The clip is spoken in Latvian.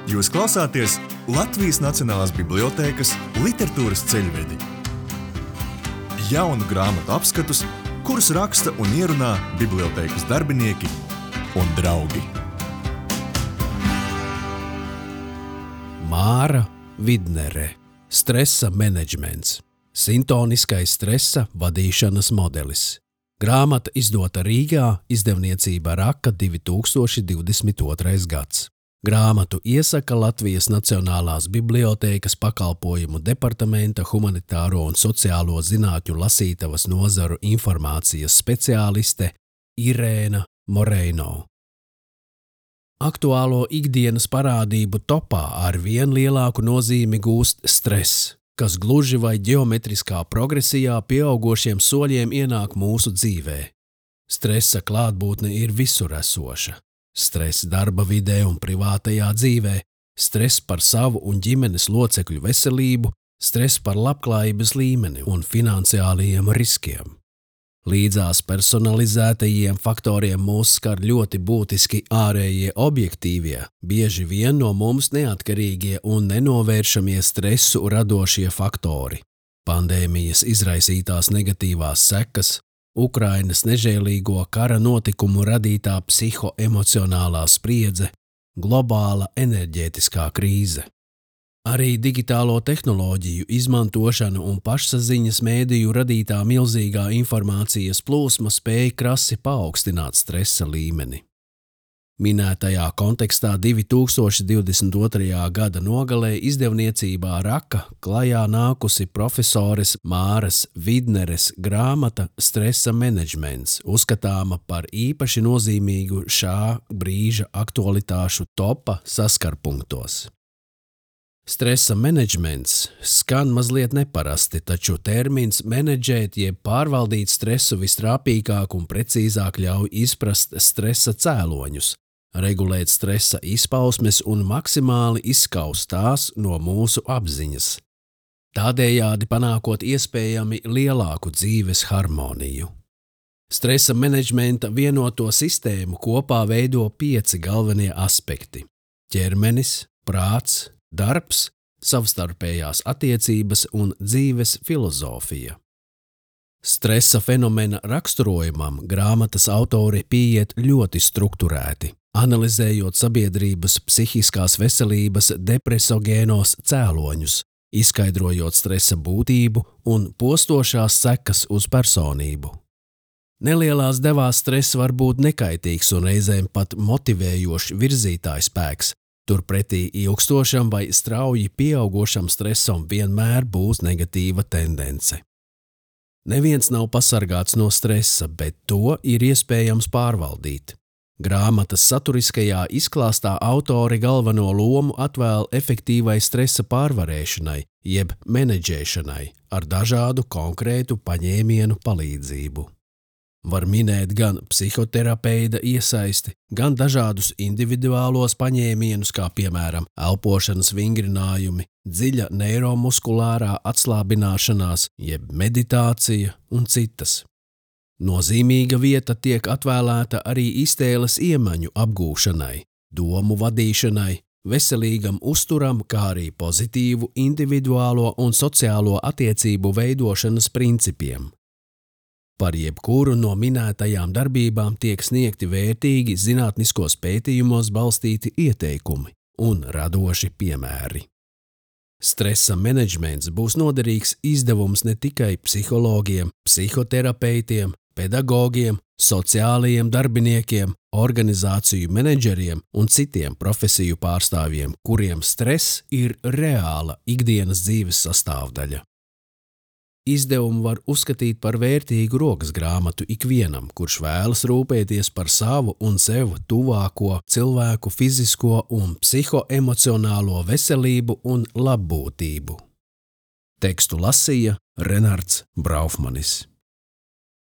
Jūs klausāties Latvijas Nacionālās bibliotēkas literatūras ceļvedi. Jaunu grāmatu apskatus, kurus raksta un ierunā bibliotēkas darbinieki un draugi. Māra Vidnere. Stresa menedžments. Sintoniskais stresa vadīšanas modelis. Grāmata izdota Rīgā, izdevniecība Raka 2022. gads. Grāmatu iesaka Latvijas Nacionālās bibliotēkas pakalpojumu departamenta humanitāro un sociālo zinātņu lasītavas nozaru informācijas speciāliste Irēna Moreino. Aktuālo ikdienas parādību topā ar vien lielāku nozīmi gūst stress, kas gluži vai ģeometriskā progresijā pieaugošiem soļiem ienāk mūsu dzīvē. Stresa klātbūtne ir visur esoša. Stress darba vidē un privātajā dzīvē, stress par savu un ģimenes locekļu veselību, stress par labklājības līmeni un finansiālajiem riskiem. Līdzās personalizētajiem faktoriem mūs skar ļoti būtiski ārējie objektīvie, bieži vien no mums neatkarīgie un nenovēršamie stresu radošie faktori. Pandēmijas izraisītās negatīvās sekas, Ukrainas nežēlīgo kara notikumu radītā psihoemocionālā spriedze, globāla enerģētiskā krīze. Arī digitālo tehnoloģiju izmantošana un pašsaziņas mēdīju radītā milzīgā informācijas plūsma spēja krasi paaugstināt stresa līmeni. Minētajā kontekstā 2022. gada nogalē izdevniecībā Raka klajā nākusi profesores Māras Vidneres grāmata Stresa menedžments, uzskatāma par īpaši nozīmīgu šā brīža aktualitāšu topa saskarpunktos. Stresa menedžments skan mazliet neparasti, taču termins menedžēt jeb pārvaldīt stresu vistrāpīgāk un precīzāk ļauj izprast stresa cēloņus, regulēt stresa izpausmes un maksimāli izskaust tās no mūsu apziņas, tādējādi panākot iespējami lielāku dzīves harmoniju. Stresa menedžmenta vienoto sistēmu kopā veido 5 galvenie aspekti – ķermenis, prāts, darbs, savstarpējās attiecības un dzīves filozofija. Stresa fenomena raksturojumam grāmatas autori pieiet ļoti strukturēti, analizējot sabiedrības psihiskās veselības depresogēnos cēloņus, izskaidrojot stresa būtību un postošās sekas uz personību. Nelielās devās stress var būt nekaitīgs un reizēm pat motivējošs virzītājspēks, turpretī ilgstošam vai strauji pieaugošam stresam vienmēr būs negatīva tendence. Neviens nav pasargāts no stresa, bet to ir iespējams pārvaldīt. Grāmatas saturiskajā izklāstā autori galveno lomu atvēl efektīvai stresa pārvarēšanai, jeb menedžēšanai ar dažādu konkrētu paņēmienu palīdzību. Var minēt gan psihoterapeita iesaisti, gan dažādus individuālos paņēmienus, kā piemēram elpošanas vingrinājumi, dziļa neiromuskulārā atslābināšanās, jeb meditācija un citas. Nozīmīga vieta tiek atvēlēta arī iztēles iemaņu apgūšanai, domu vadīšanai, veselīgam uzturam, kā arī pozitīvu individuālo un sociālo attiecību veidošanas principiem. Par jebkuru no minētajām darbībām tiek sniegti vērtīgi zinātniskos pētījumos balstīti ieteikumi un radoši piemēri. Stresa menedžments būs noderīgs izdevums ne tikai psihologiem, psihoterapeitiem, pedagogiem, sociālajiem darbiniekiem, organizāciju menedžeriem un citiem profesiju pārstāvjiem, kuriem stress ir reāla ikdienas dzīves sastāvdaļa. Izdevumu var uzskatīt par vērtīgu rokas grāmatu ikvienam, kurš vēlas rūpēties par savu un sev tuvāko cilvēku fizisko un psihoemocionālo veselību un labbūtību. Tekstu lasīja Renards Braufmanis.